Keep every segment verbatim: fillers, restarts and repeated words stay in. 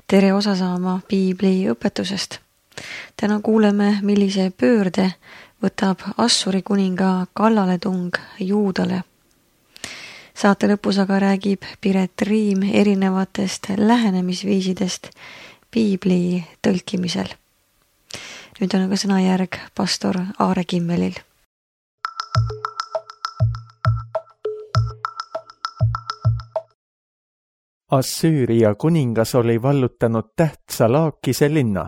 tere osa saama Piibli õpetusest. Täna kuuleme, millise pöörde võtab Assuri kuninga kallaletung Juudale. Saate lõpus aga räägib Piret Riim erinevatest lähenemisviisidest Piibli tõlkimisel. Nüüd on aga sõnajärg pastor Aare Kimmelil. Assüüria kuningas oli vallutanud tähtsa Laakise linna.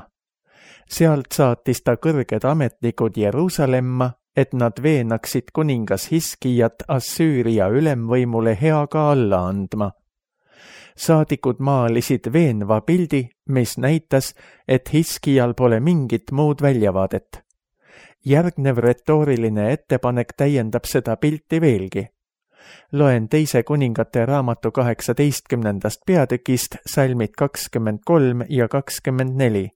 Sealt saatis ta kõrged ametnikud Jeruusalemma, et nad veenaksid kuningas Hiskijat Assüüria ülemvõimule heaga alla andma. Saadikud maalisid veenva pildi, mis näitas, et Hiskijal pole mingit muud väljavaadet. Järgnev retooriline ettepanek täiendab seda pilti veelgi. Loen teise kuningate raamatu kaheksateistkümnendast peatükist salmid kakskümmend kolm ja kakskümmend neli.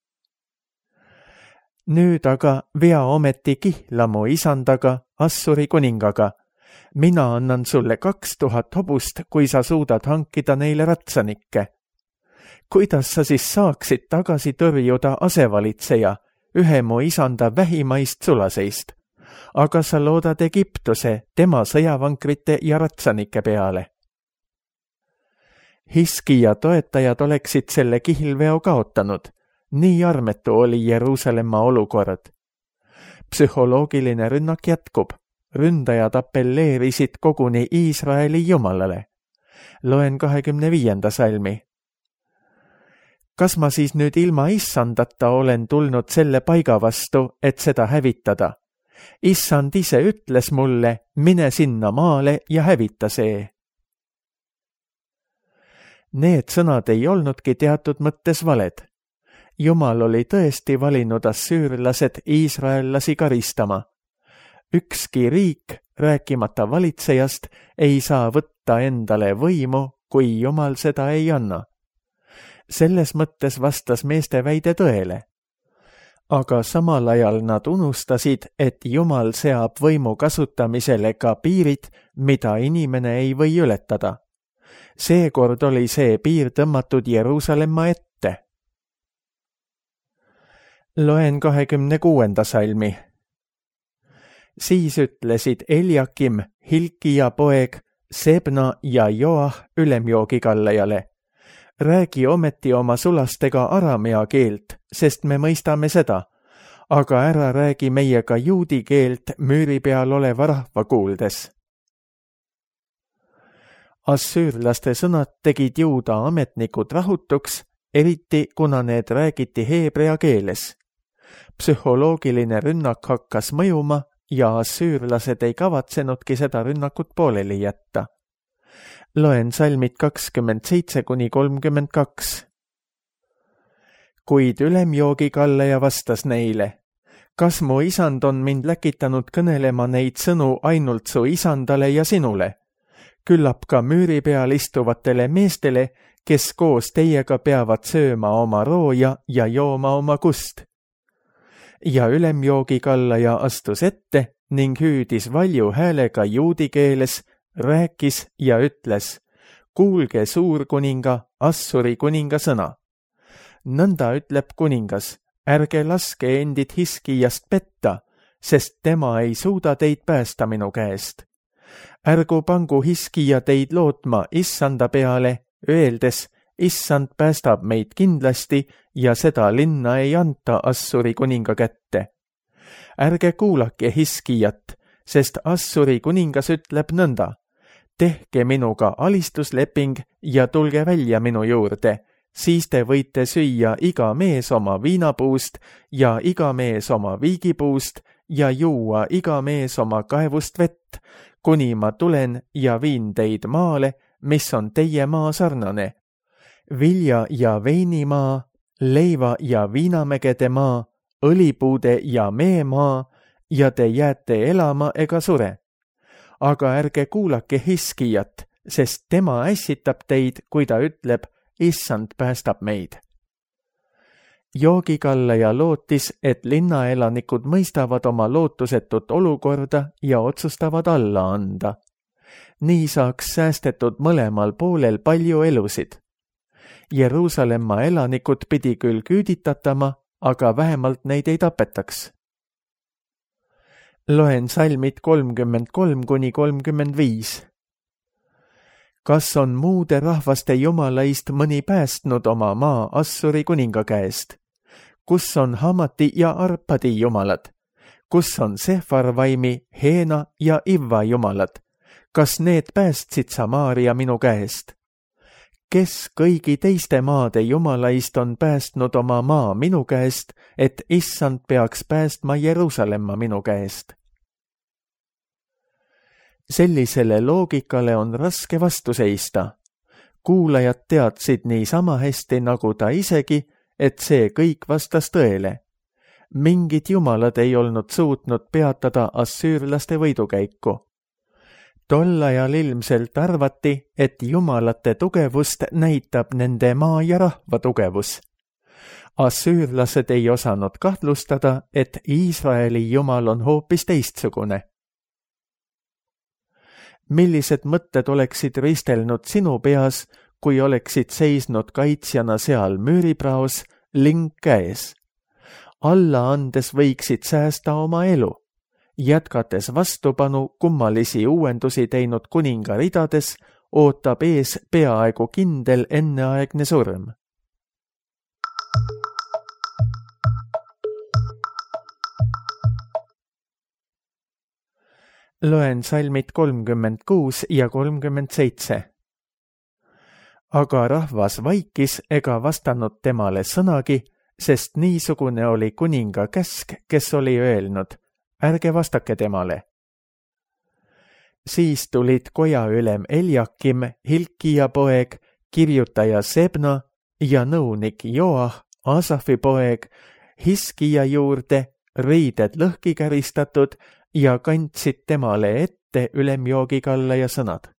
Nüüd aga vea ometi kihla mu isandaga, Assuri kuningaga. Mina annan sulle kaks tuhat hobust, kui sa suudad hankida neile ratsanikke. Kuidas sa siis saaksid tagasi tõrjuda asevalitseja, ühe mu isanda vähimaist sulaseist? Aga sa loodad Egiptuse, tema sõjavankrite ja ratsanike peale. Hiskija toetajad oleksid selle kihlveo kaotanud. Nii armetu oli Jeruusalemma olukord. Psühholoogiline rünnak jätkub. Ründajad appelleerisid koguni Iisraeli jumalale. Loen kahekümne viienda salmi. Kas ma siis nüüd ilma issandata olen tulnud selle paiga vastu, et seda hävitada? Issand ise ütles mulle, mine sinna maale ja hävita see. Need sõnad ei olnudki teatud mõttes valed. Jumal oli tõesti valinud assüürlased iisraellasi karistama. Ükski riik, rääkimata valitsejast, ei saa võtta endale võimu, kui Jumal seda ei anna. Selles mõttes vastas meeste väide tõele. Aga samal ajal nad unustasid, et Jumal seab võimu kasutamisele ka piirid, mida inimene ei või ületada. Seekord oli see piir tõmmatud Jeruusalemma ette. Loen kahekümne kuuenda salmi. Siis ütlesid Eliakim, Hilkija poeg, Sebna ja Joah ülemjoogikallajale. Räägi ometi oma sulastega aramea keelt, sest me mõistame seda, aga ära räägi meiega juudi keelt müüri peal oleva rahva kuuldes. Assüürlaste sõnad tegid juuda ametnikud rahutuks, eriti kuna need räägiti heebrea keeles. Psühholoogiline rünnak hakkas mõjuma ja assüürlased ei kavatsenudki seda rünnakut pooleli jätta. Loen salmid kakskümmend seitse kuni kolmkümmend kaks. Kuid ülemjoogikallaja vastas neile, kas mu isand on mind läkitanud kõnelema neid sõnu ainult su isandale ja sinule? Küllap ka müüri peal istuvatele meestele, kes koos teiega peavad sööma oma rooja ja jooma oma kust. Ja ülemjoogikallaja astus ette ning hüüdis valju häälega juudi keeles, rääkis ja ütles, kuulge suurkuninga, Assuri kuninga sõna. Nõnda ütleb kuningas, ärge laske endid Hiskijast petta, sest tema ei suuda teid päästa minu käest. Ärgu pangu Hiskija teid lootma issanda peale, öeldes, issand päästab meid kindlasti ja seda linna ei anta Assuri kuninga kätte. Ärge kuulake Hiskijat, sest Assuri kuningas ütleb nõnda, tehke minuga alistusleping ja tulge välja minu juurde, siis te võite süüa iga mees oma viinapuust ja iga mees oma viigipuust ja juua iga mees oma kaevust vett, kuni ma tulen ja viin teid maale, mis on teie maa sarnane. Vilja ja veinimaa, leiva ja viinamägede maa, õlipuude ja meemaa ja te jääte elama ega sure. Aga ärge kuulake Hiskijat, sest tema ässitab teid, kui ta ütleb, issand päästab meid. Joogikallaja lootis, et linnaelanikud mõistavad oma lootusetut olukorda ja otsustavad alla anda. Nii saaks säästetud mõlemal poolel palju elusid. Jeruusalemma elanikud pidi küll küüditatama, aga vähemalt neid ei tapetaks. Loen salmid kolmkümmend kolm kuni kolmkümmend viis. Kas on muude rahvaste jumalaist mõni päästnud oma maa Assuri kuninga käest? Kus on Hamati ja Arpadi jumalad? Kus on Sefarvaimi, Heena ja Ivva jumalad? Kas need päästsid Samaaria minu käest? Kes kõigi teiste maade jumalaist on päästnud oma maa minu käest, et issand peaks päästma Jeruusalemma minu käest? Sellisele loogikale on raske vastu seista. Kuulajad teadsid nii sama hästi nagu ta isegi, et see kõik vastas tõele. Mingid jumalad ei olnud suutnud peatada assüürlaste võidukäiku. Tol ajal ilmselt arvati, et jumalate tugevust näitab nende maa ja rahva tugevus. Assüürlased ei osanud kahtlustada, et Iisraeli jumal on hoopis teistsugune. Millised mõtted oleksid ristelnud sinu peas, kui oleksid seisnud kaitsjana seal müüripraos, ling käes? Alla andes võiksid säästa oma elu, jätkates vastupanu kummalisi uuendusi teinud kuninga ridades, ootab ees peaaegu kindel enneaegne surm. Loen salmid kolmkümmend kuus ja kolmkümmend seitse. Aga rahvas vaikis ega vastanud temale sõnagi, sest niisugune oli kuninga käsk, kes oli öelnud, ärge vastake temale. Siis tulid kojaülem Eljakim, Hilkia poeg, kirjutaja Sebna ja nõunik Joah, Asafi poeg, Hiskia juurde, riided lõhki käristatud ja kandsid temale ette ülemjoogikalla ja sõnad.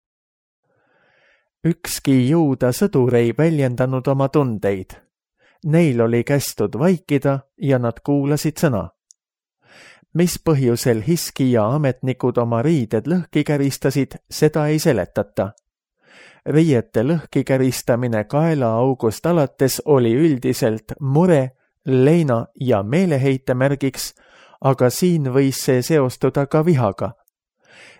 Ükski juuda sõdur ei väljendanud oma tundeid. Neil oli kästud vaikida ja nad kuulasid sõna. Mis põhjusel Hiskia ametnikud oma riided lõhki käristasid, seda ei seletata. Riiete lõhki käristamine kaelaaugust alates oli üldiselt mure, leina ja meeleheite märgiks, aga siin võis see seostuda ka vihaga.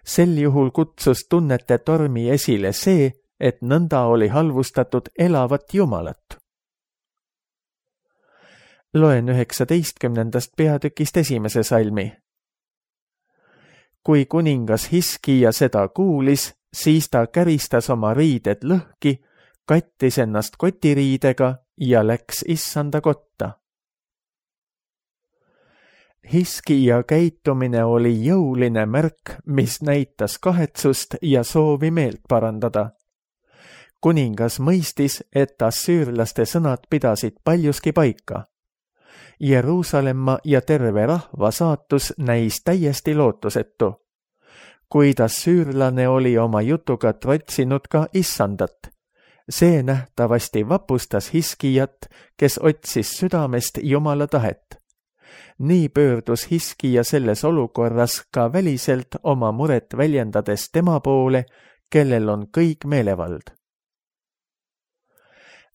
Sel juhul kutsus tunnete tormi esile see, et nõnda oli halvustatud elavat jumalat. Loen üheksateistkümnendast peatükist esimese salmi. Kui kuningas Hiskia seda kuulis, siis ta käristas oma riided lõhki, kattis ennast kotiriidega ja läks issanda kotta. Hiskia käitumine oli jõuline märk, mis näitas kahetsust ja soovi meelt parandada. Kuningas mõistis, et assüürlaste sõnad pidasid paljuski paika. Jeruusalemma ja terve rahva saatus näis täiesti lootusetu. Kuid assüürlane oli oma jutuga trotsinud ka issandat. See nähtavasti vapustas Hiskiat, kes otsis südamest Jumala tahet. Nii pöördus Hiskia selles olukorras ka väliselt oma muret väljendades tema poole, kellel on kõik meelevald.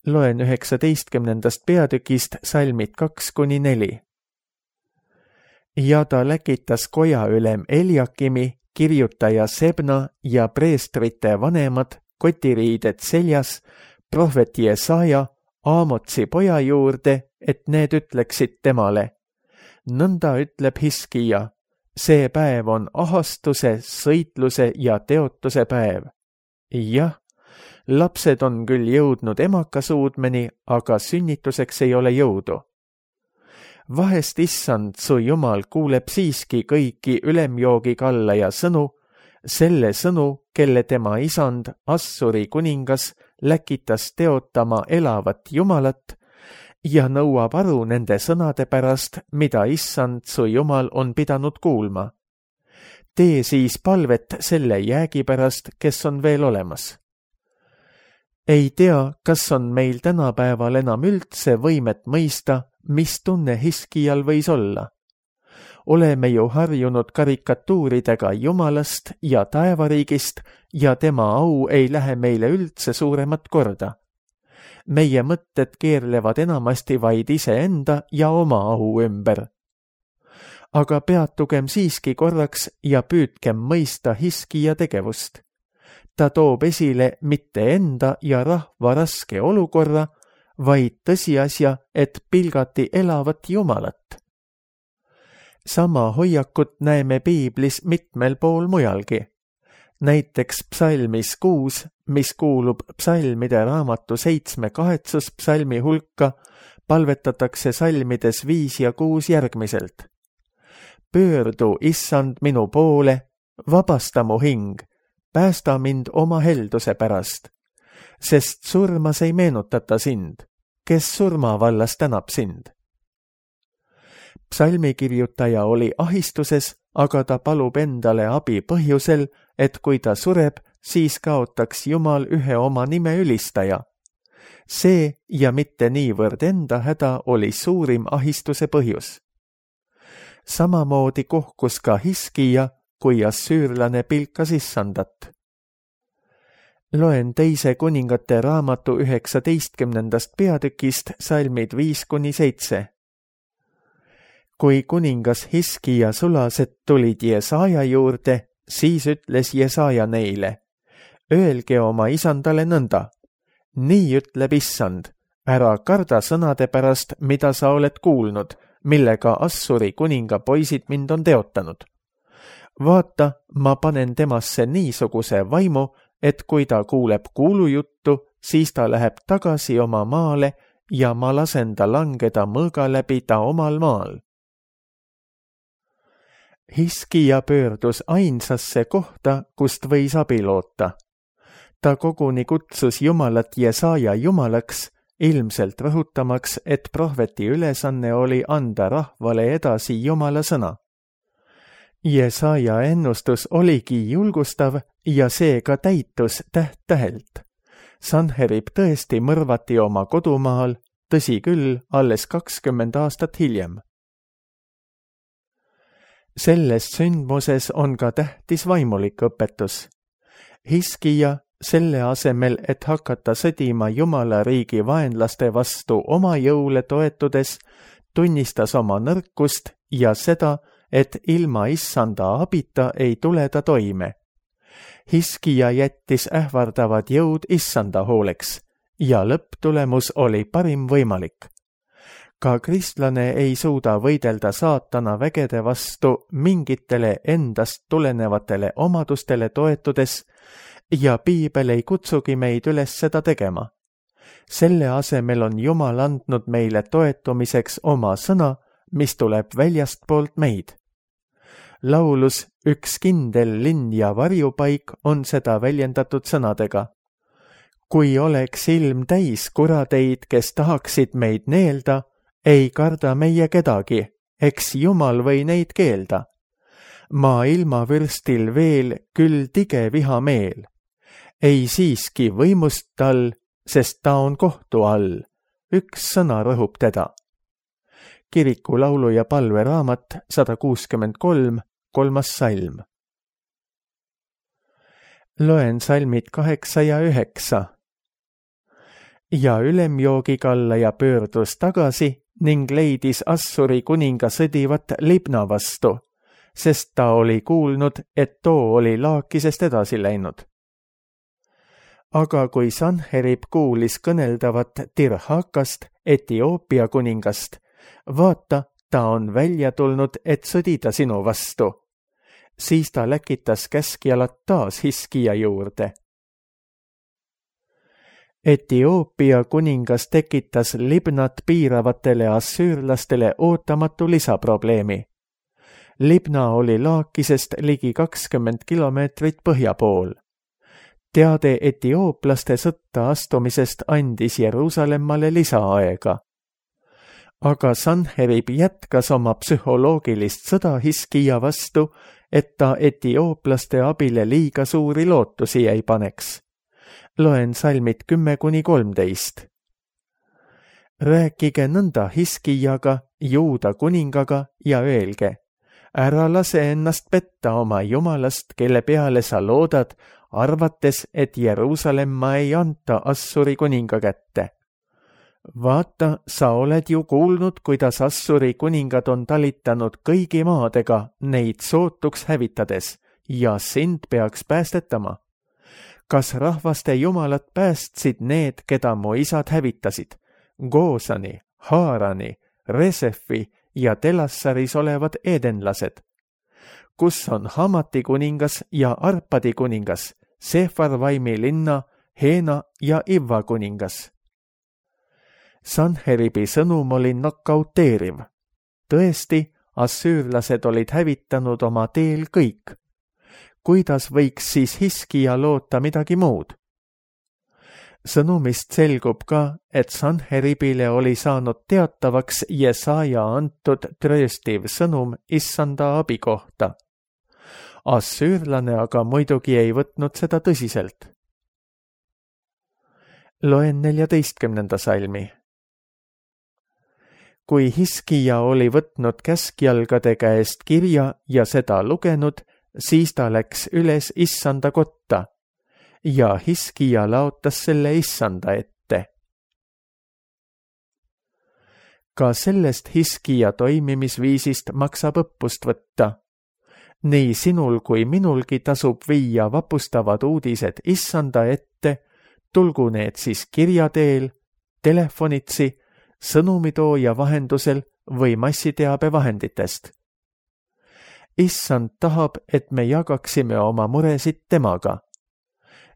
Loen üheksateistkümnendast peatükist salmid kaks kuni neli. Ja ta läkitas kojaülem Eljakimi, kirjutaja Sebna ja preestrite vanemad, kotiriided seljas, prohvet Jesaja, Aamotsi poja juurde, et need ütleksid temale. Nõnda ütleb Hiskia, see päev on ahastuse, sõitluse ja teotuse päev. Jah, lapsed on küll jõudnud emakasuudmeni, aga sünnituseks ei ole jõudu. Vahest issand su jumal kuuleb siiski kõiki ülemjoogikalla ja sõnu, selle sõnu, kelle tema isand, Assuri kuningas, läkitas teotama elavat jumalat ja nõuab aru nende sõnade pärast, mida issand su jumal on pidanud kuulma. Tee siis palvet selle jäägi pärast, kes on veel olemas. Ei tea, kas on meil tänapäeval enam üldse võimet mõista, mis tunne Hiskial võis olla. Oleme ju harjunud karikatuuridega jumalast ja taevariigist ja tema au ei lähe meile üldse suuremat korda. meie mõtted keerlevad enamasti vaid iseenda ja oma au ümber. Aga peatugem siiski korraks ja püüdkem mõista Hiskija tegevust. Ta toob esile mitte enda ja rahva raske olukorra, vaid tõsiasja, et pilgati elavat Jumalat. Sama hoiakut näeme piiblis mitmel pool mujalgi. Näiteks psalmis kuus, mis kuulub psalmide raamatu seitsme kahetsuspsalmi hulka, palvetatakse salmides viis ja kuus järgmiselt. Pöördu, issand, minu poole, vabasta mu hing, päästa mind oma helduse pärast, sest surmas ei meenutata sind, kes surma vallas tänab sind. Psalmikirjutaja oli ahistuses, aga ta palub endale abi põhjusel, et kui ta sureb, siis kaotaks Jumal ühe oma nime ülistaja. See ja mitte niivõrd enda häda oli suurim ahistuse põhjus. Samamoodi kohkus ka Hiskija, kui assüürlane pilkas issandat. Loen teise kuningate raamatu üheksateistkümnendast peatükist salmid viis kuni seitse. Kui kuningas Hiskija sulased tulid Jesaja juurde, siis ütles Jesaja neile, öelge oma isandale nõnda, nii ütleb issand, ära karda sõnade pärast, mida sa oled kuulnud, millega Assuri kuninga poisid mind on teotanud. Vaata, ma panen temasse niisuguse vaimu, et kui ta kuuleb kuulujuttu, siis ta läheb tagasi oma maale ja ma lasen ta langeda mõõga läbi ta omal maal. Hiskija pöördus ainsasse kohta, kust võis abi loota. Ta koguni kutsus Jumalat Jesaja jumalaks, ilmselt rõhutamaks, et prohveti ülesanne oli anda rahvale edasi Jumala sõna. Jesaja ennustus oligi julgustav ja see ka täitus täht-tähelt. Sanherib tõesti mõrvati oma kodumaal, tõsi küll, alles kakskümmend aastat hiljem. Selles sündmuses on ka tähtis vaimulik õpetus. Hiskija, selle asemel, et hakata sõdima Jumala riigi vaenlaste vastu oma jõule toetudes, tunnistas oma nõrkust ja seda, et ilma issanda abita ei tule ta toime. Hiskija jättis ähvardavad jõud issanda hooleks ja lõpptulemus oli parim võimalik. Ka kristlane ei suuda võidelda saatana vägede vastu mingitele endast tulenevatele omadustele toetudes ja piibel ei kutsugi meid üles seda tegema. Selle asemel on Jumal andnud meile toetumiseks oma sõna, mis tuleb väljastpoolt meid. Laulus Üks kindel linn ja varjupaik on seda väljendatud sõnadega. Kui oleks ilm täis kuradeid, kes tahaksid meid neelda, ei karda meie kedagi, eks Jumal või neid keelda. Maa ilmavürstil veel küll tige vihameel. Ei siiski võimust tal, sest ta on kohtu all. Üks sõna rõhub teda. Kiriku laulu ja palve raamat sada kuuskümmend kolm, kolmas salm. Loen salmid kaheksa ja üheksa. Ja ülemjoogikallaja pöördus tagasi ning leidis Assuri kuninga sõdivat Libna vastu, sest ta oli kuulnud, et too oli Laakisest edasi läinud. Aga kui Sanherib kuulis kõneldavat Tirhakast, Etioopia kuningast, vaata, ta on välja tulnud, et sõdida sinu vastu. Siis ta läkitas käskjalad taas Hiskija juurde. Etioopia kuningas tekitas Libnat piiravatele assüürlastele ootamatu lisaprobleemi. Libna oli Laakisest ligi kakskümmend kilomeetrit põhja pool. Teade etiooplaste sõtta astumisest andis Jeruusalemmale lisaaega. Aga Sanherib jätkas oma psühholoogilist sõda Hiskija vastu, et ta etiooplaste abile liiga suuri lootusi ei paneks. Loen salmid kümme kuni kolmteist. Rääkige nõnda Hiskijaga, Juuda kuningaga ja öelge, ära lase ennast petta oma Jumalast, kelle peale sa loodad, arvates, et Jeruusalemma ei anta Assuri kuninga kätte. vaata, sa oled ju kuulnud, kuidas Assuri kuningad on talitanud kõigi maadega neid sootuks hävitades ja sind peaks päästetama. Kas rahvaste jumalad päästsid need, keda mu isad hävitasid, Goosani, Haarani, Resefi ja Telassaris olevad edenlased? Kus on Hamati kuningas ja Arpadi kuningas, Sefarvaimi linna, Heena ja Ivva kuningas? Sanheribi sõnum oli nokauteeriv. Tõesti, assüürlased olid hävitanud oma teel kõik. Kuidas võiks siis Hiskija loota midagi muud? Sõnumist selgub ka, et Sanheribile oli saanud teatavaks Jesaja antud trööstiv sõnum issanda abi kohta. Assüürlane aga muidugi ei võtnud seda tõsiselt. Loen neljateistkümnenda salmi. Kui Hiskija oli võtnud käskjalgade käest kirja ja seda lugenud, siis ta läks üles issanda kotta ja Hiskija laotas selle issanda ette. Ka sellest Hiskija toimimisviisist maksab õppust võtta. Nii sinul kui minulgi tasub viia vapustavad uudised issanda ette, tulgu need siis kirja teel, telefonitsi, sõnumitooja vahendusel või massiteabevahenditest. Issand tahab, et me jagaksime oma muresid temaga.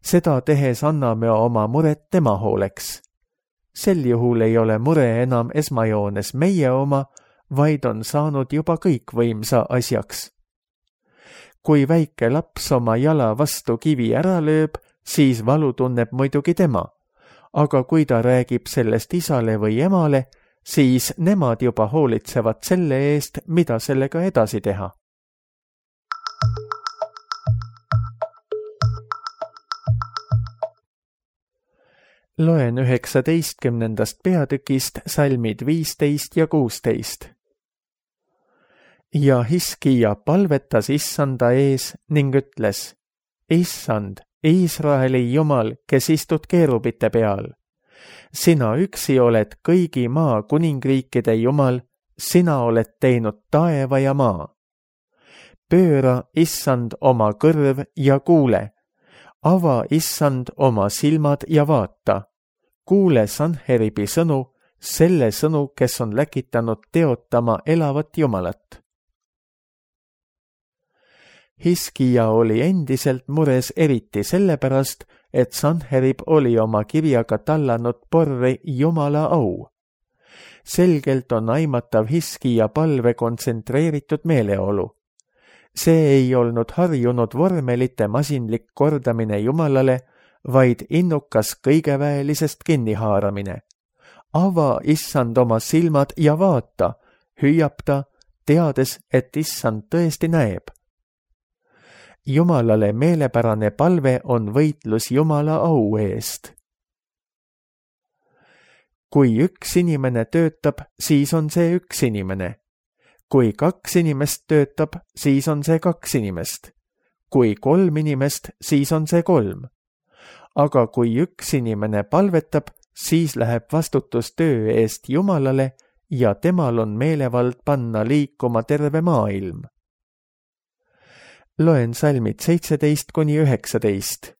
Seda tehes anname oma muret tema hooleks. Sel juhul ei ole mure enam esmajoones meie oma, vaid on saanud juba kõikvõimsa asjaks. Kui väike laps oma jala vastu kivi ära lööb, siis valu tunneb muidugi tema, aga kui ta räägib sellest isale või emale, siis nemad juba hoolitsevad selle eest, mida sellega edasi teha. Loen üheksateistkümnendast peatükist salmid viisteist ja kuusteist. Ja Hiskija palvetas issanda ees ning ütles, Issand, Iisraeli Jumal, kes istud keerubite peal. Sina üksi oled kõigi maa kuningriikide Jumal, sina oled teinud taeva ja maa. Pööra, Issand, oma kõrv ja kuule. Ava, Issand, oma silmad ja vaata. Kuule Sanheribi sõnu, selle sõnu, kes on läkitanud teotama elavat Jumalat. Hiskija oli endiselt mures eriti sellepärast, et Sanherib oli oma kirjaga tallanud porri Jumala au. Selgelt on aimatav Hiskija palve kontsentreeritud meeleolu. See ei olnud harjunud vormelite masinlik kordamine Jumalale, vaid innukas kõigeväelisest kinnihaaramine. Ava, Issand, oma silmad ja vaata, hüüab ta, teades, et Issand tõesti näeb. Jumalale meelepärane palve on võitlus Jumala au eest. Kui üks inimene töötab, siis on see üks inimene. Kui kaks inimest töötab, siis on see kaks inimest. Kui kolm inimest, siis on see kolm. Aga kui üks inimene palvetab, siis läheb vastutus töö eest Jumalale ja temal on meelevald panna liikuma terve maailm. Loen salmid seitseteist kuni üheksateist.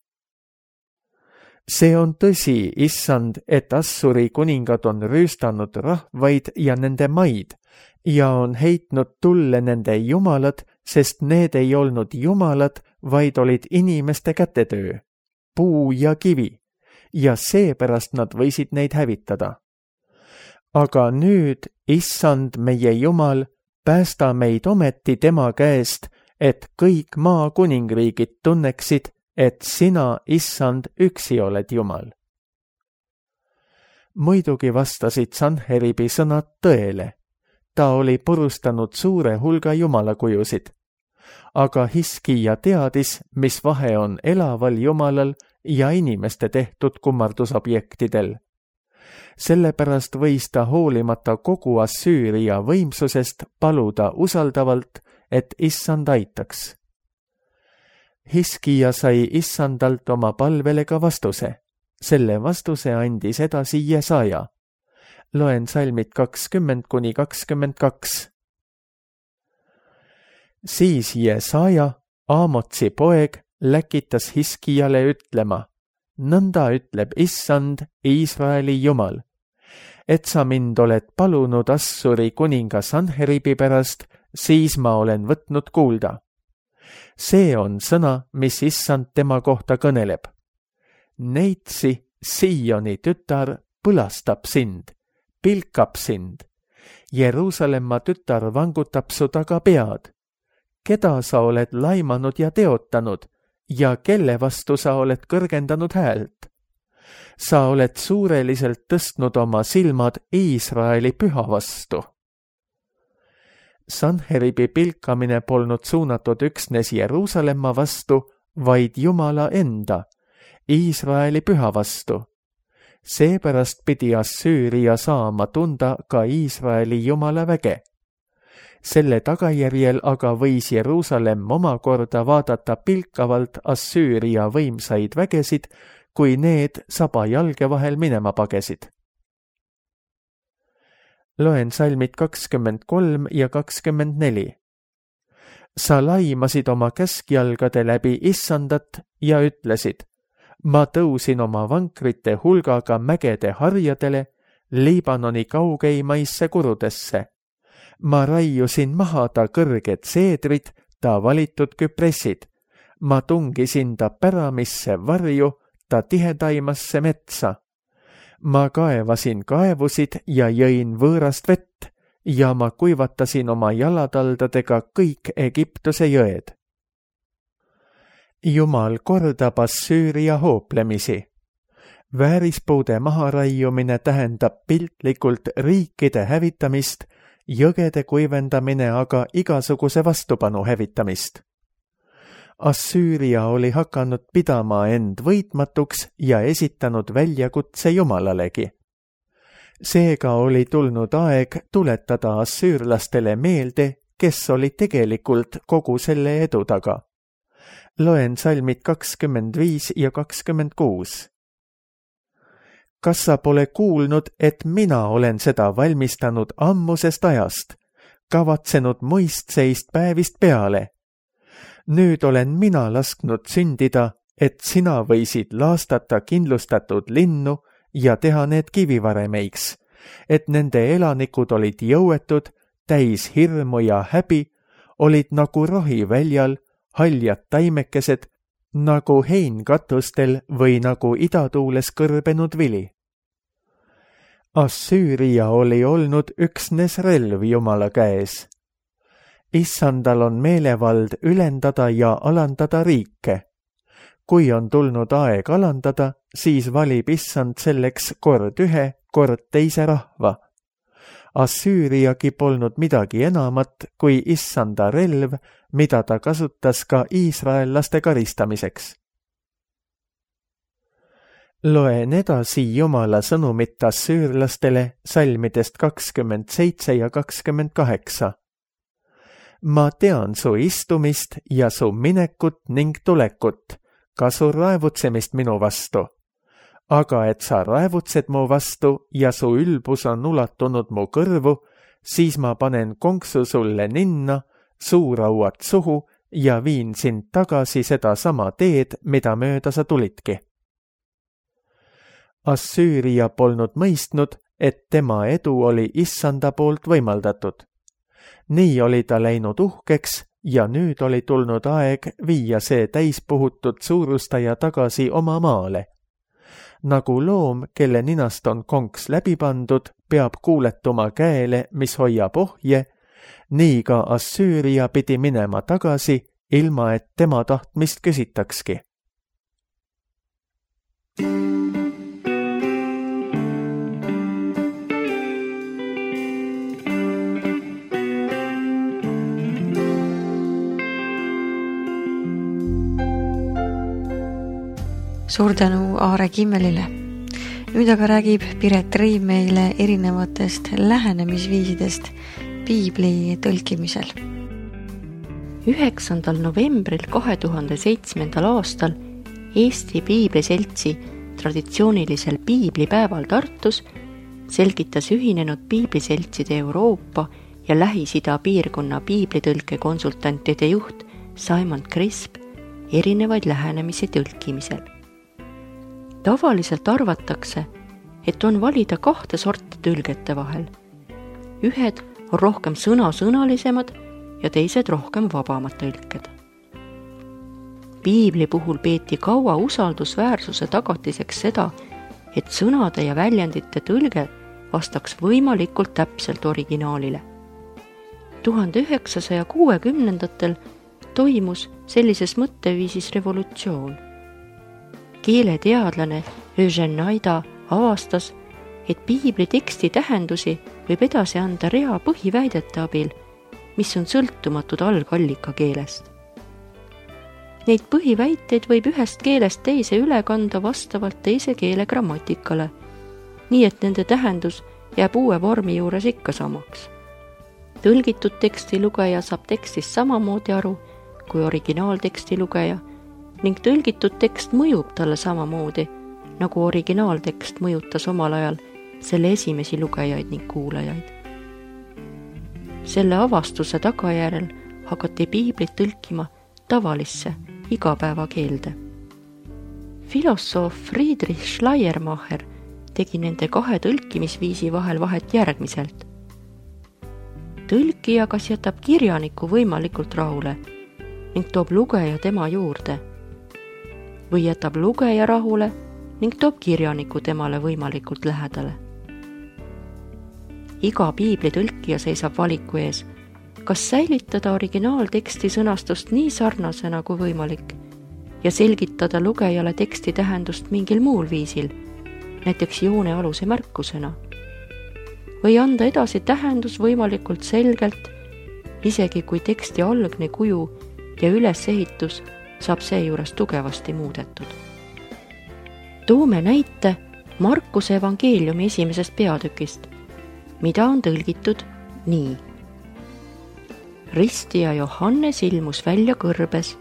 See on tõsi, Issand, et Assuri kuningad on rüüstanud rahvaid ja nende maid ja on heitnud tulle nende jumalad, sest need ei olnud jumalad, vaid olid inimeste kätetöö, puu ja kivi, ja seepärast nad võisid neid hävitada. Aga nüüd, Issand, meie Jumal, päästa meid ometi tema käest, et kõik maa kuningriigid tunneksid, et sina, Issand, üksi oled Jumal. Muidugi vastasid Sanheribi sõnad tõele. Ta oli purustanud suure hulga jumalakujusid. Aga Hiskija teadis, mis vahe on elaval Jumalal ja inimeste tehtud kummardusobjektidel. Sellepärast võis ta hoolimata kogu Assüüria võimsusest paluda usaldavalt, et Issand aitaks. Hiskija sai Issandalt oma palvele ka vastuse. Selle vastuse andis edasi Jesaja. Loen salmid kakskümmend kuni kakskümmend kaks. Siis Jesaja, Aamotsi poeg, läkitas Hiskijale ütlema, nõnda ütleb Issand, Iisraeli Jumal, et sa mind oled palunud Assuri kuninga Sanheribi pärast, siis ma olen võtnud kuulda. See on sõna, mis Issand tema kohta kõneleb. Neitsi, Sioni tütar, põlastab sind, pilkab sind. Jeruusalemma tütar vangutab su taga pead. Keda sa oled laimanud ja teotanud ja kelle vastu sa oled kõrgendanud häält? Sa oled suureliselt tõstnud oma silmad Iisraeli püha vastu. Sanheribi pilkamine polnud suunatud üksnes Jeruusalemma vastu, vaid Jumala enda, Iisraeli püha vastu. Seepärast pidi Assüüria saama tunda ka Iisraeli Jumala väge. Selle tagajärjel aga võis Jeruusalemm omakorda vaadata pilkavalt Assüüria võimsaid vägesid, kui need saba jalge vahel minema pagesid. Loen salmid kakskümmend kolm ja kakskümmend neli. Sa laimasid oma käskjalgade läbi Issandat ja ütlesid, ma tõusin oma vankrite hulgaga mägede harjadele, Liibanoni kaugeimaisse kurudesse. Ma raiusin maha ta kõrged seedrid, ta valitud küpressid. Ma tungisin ta päramisse varju, ta tihedaimasse metsa. Ma kaevasin kaevusid ja jõin võõrast vett ja ma kuivatasin oma jalataldadega kõik Egiptuse jõed. Jumal kordab Assüüria hooplemisi. Väärispuude maharaiumine tähendab piltlikult riikide hävitamist, jõgede kuivendamine aga igasuguse vastupanu hävitamist. Assüüria oli hakanud pidama end võitmatuks ja esitanud väljakutse Jumalalegi. Seega oli tulnud aeg tuletada assüürlastele meelde, kes oli tegelikult kogu selle edu taga. Loen salmid kakskümmend viis ja kakskümmend kuus. Kas sa pole kuulnud, et mina olen seda valmistanud ammusest ajast, kavatsenud muistseist päevist peale? Nüüd olen mina lasknud sündida, et sina võisid laastata kindlustatud linnu ja teha need kivivaremeiks, et nende elanikud olid jõuetud, täis hirmu ja häbi, olid nagu rohi väljal, haljad taimekesed, nagu heinkatustel või nagu idatuules kõrbenud vili. Assüüria oli olnud üksnes relv Jumala käes. Issandal on meelevald ülendada ja alandada riike. Kui on tulnud aeg alandada, siis valib Issand selleks kord ühe, kord teise rahva. Assüüriagi polnud midagi enamat kui Issanda relv, mida ta kasutas ka iisraellaste karistamiseks. Loen edasi Jumala sõnumit assüürlastele salmidest kakskümmend seitse ja kakskümmend kaheksa. Ma tean su istumist ja su minekut ning tulekut, ka su raevutsemist minu vastu. Aga et sa raevutsed mu vastu ja su ülbus on ulatunud mu kõrvu, siis ma panen konksu sulle ninna, suurauad suhu ja viin sind tagasi seda sama teed, mida mööda sa tulidki. Assüüria polnud mõistnud, et tema edu oli Issanda poolt võimaldatud. Nii oli ta läinud uhkeks ja nüüd oli tulnud aeg viia see täispuhutud suurustaja tagasi oma maale. Nagu loom, kelle ninast on konks läbi pandud, peab kuuletuma käele, mis hoiab ohje, nii ka Assüüria pidi minema tagasi, ilma et tema tahtmist küsitakski. Suur tänu Aare Kimmelile. Nüüd aga räägib Piret Riim meile erinevatest lähenemisviisidest piibli tõlkimisel. üheksandal novembril kahe tuhande seitsmendal aastal Eesti Piibliseltsi traditsioonilisel piiblipäeval Tartus selgitas ühinenud piibliseltside Euroopa ja Lähis-Ida piirkonna piiblitõlke konsultantide juht Simon Crisp erinevaid lähenemisi tõlkimisel. Tavaliselt arvatakse, et on valida kahte sorti tõlgete vahel. Ühed on rohkem sõna-sõnalisemad ja teised rohkem vabamad tõlked. Piibli puhul peeti kaua usaldusväärsuse tagatiseks seda, et sõnade ja väljendite tõlge vastaks võimalikult täpselt originaalile. tuhande üheksasaja kuuekümnendatel toimus sellises mõtteviisis revolutsioon. Keeleteadlane Eugene Naida avastas, et piibli teksti tähendusi võib edasi anda rea põhiväidete abil, mis on sõltumatud algallika keelest. Neid põhiväiteid võib ühest keelest teise üle kanda vastavalt teise keele grammatikale, nii et nende tähendus jääb uue vormi juures ikka samaks. Tõlgitud teksti lugeja saab tekstist samamoodi aru kui originaalteksti lugeja ning tõlgitud tekst mõjub talle samamoodi, nagu originaaltekst mõjutas omal ajal selle esimesi lugejaid ning kuulajaid. Selle avastuse tagajärel hakati piiblit tõlkima tavalisse igapäevakeelde. Filosoof Friedrich Schleiermacher tegi nende kahe tõlkimisviisi vahel vahet järgmiselt. Tõlkija kas jätab kirjaniku võimalikult rahule ning toob lugeja tema juurde või jätab lugeja rahule ning toob kirjaniku temale võimalikult lähedale. Iga piibli tõlkija seisab valiku ees, kas säilitada originaalteksti sõnastust nii sarnasena kui võimalik ja selgitada lugejale teksti tähendust mingil muul viisil, näiteks joonealuse märkusena, või anda edasi tähendus võimalikult selgelt, isegi kui teksti algne kuju ja ülesehitus saab seejuures tugevasti muudetud. Toome näite Markuse evangeeliumi esimesest peatükist, mida on tõlgitud nii. Ristija Johannes ilmus välja kõrbes,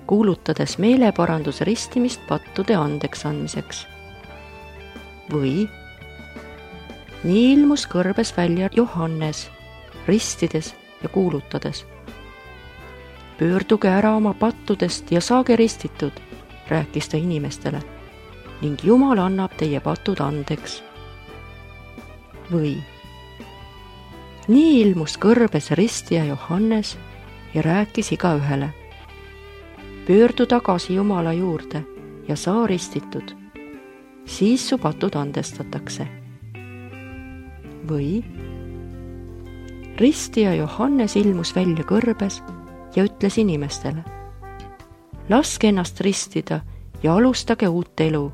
kuulutades meeleparandus ristimist pattude andeks andmiseks. Või nii ilmus kõrbes välja Johannes, ristides ja kuulutades. Pöörduge ära oma pattudest ja saage ristitud, rääkis ta inimestele, ning Jumal annab teie patud andeks. Või nii ilmus kõrbes ristija Johannes ja rääkis igaühele. Pöördu tagasi Jumala juurde ja saa ristitud, siis su patud andestatakse. Või ristija Johannes ilmus välja kõrbes ja ütles inimestele, laske ennast ristida ja alustage uut elu,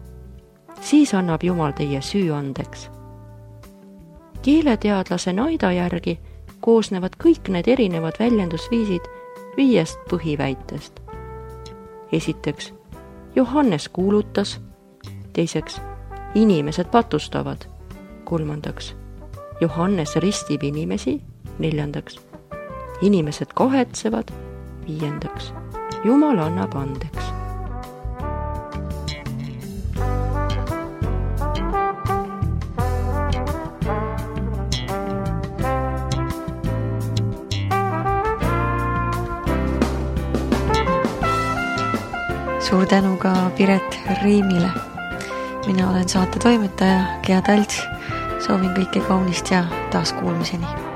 siis annab Jumal teie süü andeks. Keeleteadlase Naida järgi koosnevad kõik need erinevad väljendusviisid viiest põhiväitest. Esiteks, Johannes kuulutas, teiseks, inimesed patustavad, kolmandaks, Johannes ristib inimesi, neljandaks, inimesed kahetsevad, viiendaks, Jumal annab andeks. Suur tänu ka Piret Riimile. Mina olen saate toimetaja Gea Talts. Soovin kõike kaunist ja taas kuulmiseni.